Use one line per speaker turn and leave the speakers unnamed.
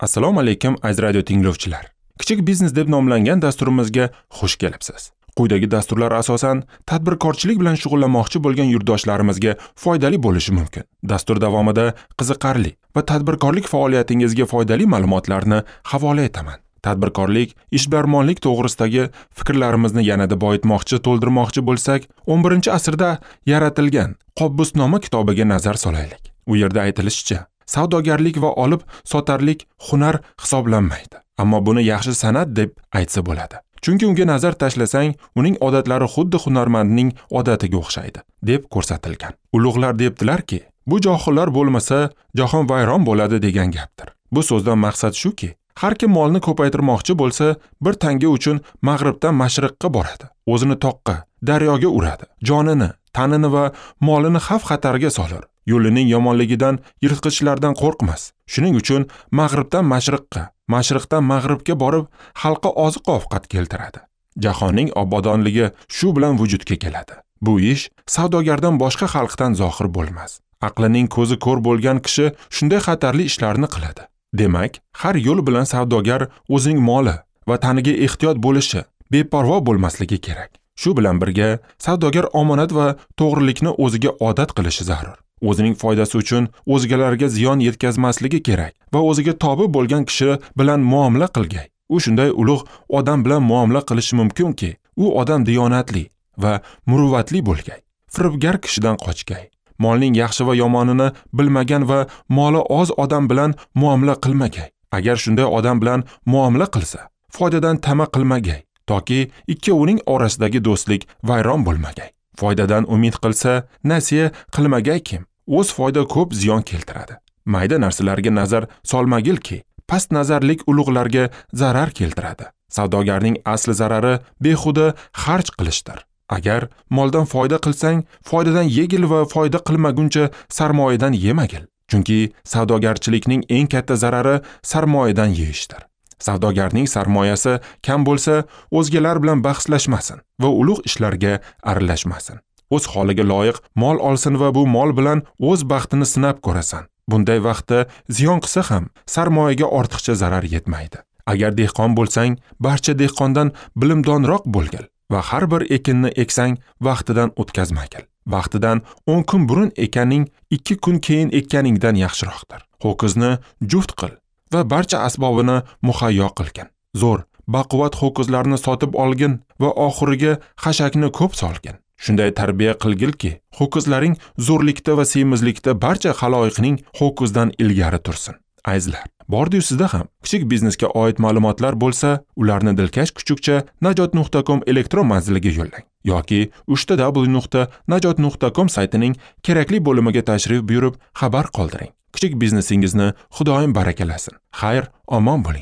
Assalomu alaykum aziz radio tinglovchilar. Kichik biznes deb nomlangan dasturimizga xush kelibsiz. Quyidagi dasturlar asosan tadbirkorchilik bilan shug'ullanmoqchi bo'lgan yurtdoshlarimizga foydali bo'lishi mumkin. Dastur davomida qiziqarli va tadbirkorlik faoliyatingizga foydali ma'lumotlarni havola etaman. Tadbirkorlik, ishbilarmonlik to'g'risidagi fikrlarimizni yanada boyitmoqchi, to'ldirmoqchi bo'lsak, 11-asrda yaratilgan Qobbusnoma kitobiga nazar solaylik. U yerda aytilishicha, savdogarlik va olib sotarlik hunar hisoblanmaydi. Ammo buni yaxshi san'at deb aytsa bo'ladi. Chunki unga nazar tashlasang, uning odatlari xuddi hunarmandning odatiga o'xshaydi, deb ko'rsatilgan. Ulug'lar debdilarki, bu johillar bo'lmasa, jahon vayron bo'ladi degan gapdir. Bu so'zdan maqsad shuki, har kim molni ko'paytirmoqchi bo'lsa, bir tanga uchun mag'ribdan mashriqqa boradi. O'zini toqqa, daryoga uradi. Jonini, tanini va molini xavf-xatarga solar. Yo'lining yomonligidan, yirtqichlardan qo'rqmas. Shuning uchun mag'ribdan mashriqqa, mashriqdan mag'ribga borib, xalqqa oziq-ovqat keltiradi. Jahonning obodonligi shu bilan vujudga keladi. Bu ish savdogardan boshqa xalqdan zohir bo'lmas. Aqlining ko'zi ko'r bo'lgan kishi shunday xatarli ishlarni qiladi. Demak, har yo'l bilan savdogar o'zining moli va taniga ehtiyot bo'lishi, beparvo bo'lmasligi kerak. Shu bilan birga savdogar omonat va to'g'rilikni o'ziga odat qilishi zarur. O'zining foydasi uchun o'zgalarga ziyon yetkazmasligi kerak va o'ziga tobe bo'lgan kishi bilan muomala qilgay. U shunday ulug' odam bilan muomala qilishi mumkinki, u odam diyonatli va muruvvatli bo'lgay. Firibgar kishidan qochgay. Molning yaxshi va yomonini bilmagan va moli oz odam bilan muomala qilmagay. Agar shunday odam bilan muomala qilsa, foydadan tama qilmagay, toki ikkovining orasidagi do'stlik vayron bo'lmagay. Foydadan umid qilsa, nasiya qilmagay kim? O'z foyda ko'p ziyon keltiradi. Mayda narsalarga nazar solmagilki, past nazarlik ulug'larga zarar keltiradi. Savdogarning asli zarari behuda xarj qilishdir. Agar moldan foyda qilsang, foydadan yegil va foyda qilmaguncha sarmoyadan yemagil. Chunki savdogarchilikning eng katta zarari sarmoyadan yeyishdir. Savdogarning sarmoyasi kam bo'lsa, o'zgalar bilan bahslashmasin va ulug' ishlarga aralashmasin. O'z holiga loyiq mol olsin va bu mol bilan o'z baxtini sinab ko'rasan. Bunday vaqtda ziyon qilsa ham sarmoyaga ortiqcha zarar yetmaydi. Agar dehqon bo'lsang, barcha dehqondan bilimdonroq bo'lgil va har bir ekinni eksang vaqtidan o'tkazmagil. Vaqtidan 10 kun burun ekkaning 2 kun keyin ekkaningdan yaxshiroqdir. Ho'kizni juft qil va barcha asbobini muhayyo qilgin. Zo'r, baquvvat ho'kizlarni sotib olgin va oxiriga xashakni ko'p solgin. Shunday tarbiya qilgilki, ho'kizlaring zo'rlikda va semizlikda barcha xaloyiqning ho'kizdan ilgari tursin. Azizlar, bordi-yu sizda ham kichik biznesga oid ma'lumotlar bo'lsa, ularni dilkash kuchukcha najot.com elektron manziliga yo'llang yoki www.najot.com saytining kerakli bo'limiga tashrif buyurib xabar qoldiring. Kichik biznesingizni Xudoyim barakalasin. Xayr, omon bo'ling.